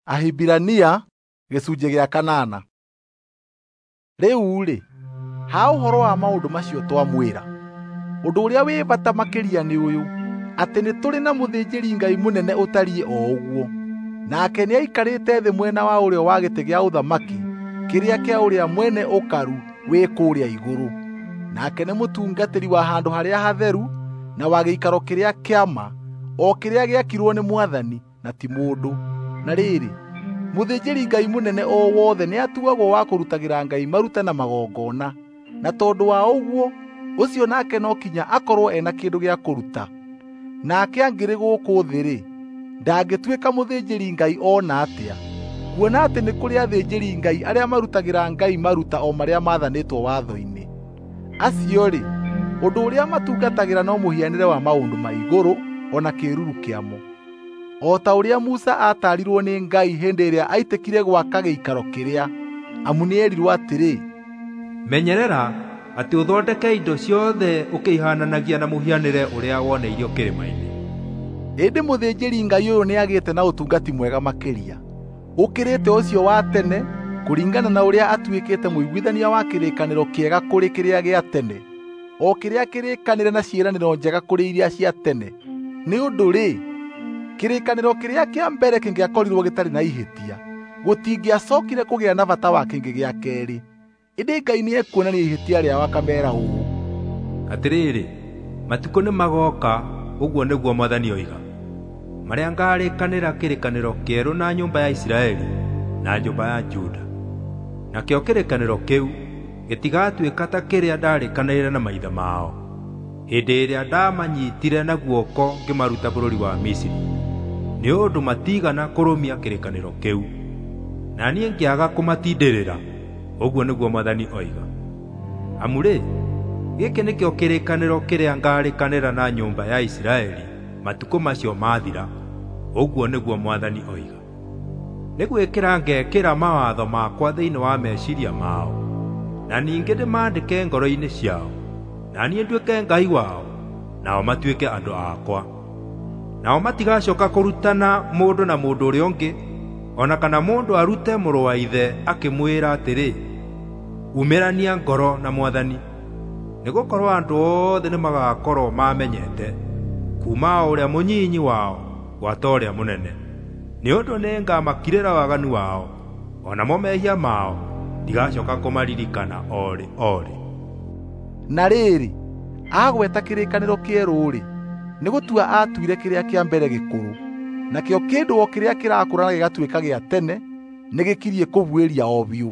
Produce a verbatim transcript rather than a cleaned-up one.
Ahibirania gĩcunjĩ gĩa kanana. Rĩu-rĩ, ha ũhoro wa maũndũ macio twamwĩra, ũndũ ũrĩa wĩ bata makĩria nĩ ũyũ, atĩ nĩ tũrĩ na mũthĩnjĩri-Ngai mũnene ũtariĩ o ũguo, nake nĩaikarĩte thĩ mwena wa ũrĩo wa gĩtĩ gĩa ũthamaki kĩrĩa kĩa ũrĩa mwene ũkaru wĩ kũrĩa igũrũ. Nake nĩ mũtungatĩri wa handũ harĩa hatheru na wa gĩikaro kĩrĩa kĩa ma, o kĩrĩa gĩakirwo nĩ Mwathani na ti mũndũ. Na rĩrĩ, mũthĩnjĩri-Ngai mũnene o wothe nĩatuagwo wa kũrutagĩra Ngai maruta na magongona, na tondũ wa ũguo ũcio nake no kinya akorwo ena kĩndũ gĩa kũruta. Nake angĩrĩ gũkũ thĩ-rĩ, ndangĩtuĩka mũthĩnjĩri-Ngai o na atĩa, kuona atĩ nĩ kũrĩ athĩnjĩri-Ngai arĩa marutagĩra Ngai maruta o marĩa maathanĩtwo watho-inĩ. Acio-rĩ, ũndũ ũrĩa matungatagĩra no mũhianĩre wa maũndũ ma igũrũ o na kĩĩruru kĩamo. O ta ũrĩa Musa aataarirwo nĩ Ngai hĩndĩ ĩrĩa aitĩkire gwaka gĩikaro kĩrĩa, amu nĩerirwo atĩrĩ, "Menyerera atĩ ũthondeke indo ciothe ũkĩihaananagia na mũhianĩre ũrĩa woneirio kĩrĩma-inĩ." Ĩndĩ mũthĩnjĩri-Ngai ũyũ nĩagĩte na ũtungati mwega makĩria, ũkĩrĩte ũcio wa tene, kũringana na ũrĩa atuĩkĩte mũiguithania wa kĩrĩkanĩro kĩega kũrĩ kĩrĩa gĩa tene, o kĩrĩa kĩrĩkanĩre na ciĩranĩro njega kũrĩ iria cia tene. Nĩ ũndũ-rĩ, kĩrĩkanĩro kĩrĩa kĩa mbere kĩngĩakorirwo gĩtarĩ na ihĩtia, gũtingĩacokire kũgĩa na bata wa kĩngĩ gĩa keerĩ. Ĩndĩ Ngai nĩekuonania ihĩtia rĩao akameera ũũ, "Atĩrĩrĩ, matukũ nĩmagooka, ũguo nĩguo Mwathani oiga, marĩa ngarĩkanĩra kĩrĩkanĩro kĩerũ na nyũmba ya Isiraeli na nyũmba ya Juda. Nakĩo kĩrĩkanĩro kĩu gĩtigatuĩka ta kĩrĩa ndarĩkanĩire na maithe mao hĩndĩ ĩrĩa ndamanyitire na guoko ngĩmaruta bũrũri wa Misiri, nĩ ũndũ matiigana kũrũmia kĩrĩkanĩro kĩu, na niĩ ngĩaga kũmatindĩrĩra, ũguo nĩguo Mwathani oiga. Amu-rĩ, gĩkĩ nĩkĩo kĩrĩkanĩro kĩrĩa ngarĩkanĩra na nyũmba ya Isiraeli matukũ macio mathira, ũguo nĩguo Mwathani oiga. Nĩ gwĩkĩra ngekĩra mawatho makwa thĩinĩ wa meciiria mao, na ningĩ ndĩmaandĩke ngoro-inĩ ciao, na niĩ nduĩke Ngai wao, nao matuĩke andũ akwa. Nao matigacooka kũrutana mũndũ na mũndũ ũrĩa ũngĩ, o na kana mũndũ arute mũrũ wa ithe akĩmwĩra atĩrĩ, ‘Umĩrania ngoro na Mwathani,’ nĩgũkorwo andũ othe nĩmagakorwo maamenyete, kuuma o ũrĩa mũnyinyi wao gwata ũrĩa mũnene. Nĩ ũndũ nĩngamakirĩra waganu wao, o namo mehia mao ndigacooka kũmaririkana o rĩ o rĩ." Na rĩrĩ, agweta kĩrĩkanĩro kĩerũ-rĩ, nĩ gũtua aatuire kĩrĩa kĩa mbere gĩkũrũ, nakĩo kĩndũ o kĩrĩa kĩrakũra na gĩgatuĩka gĩa tene nĩgĩkirie kũbuĩria o biũ.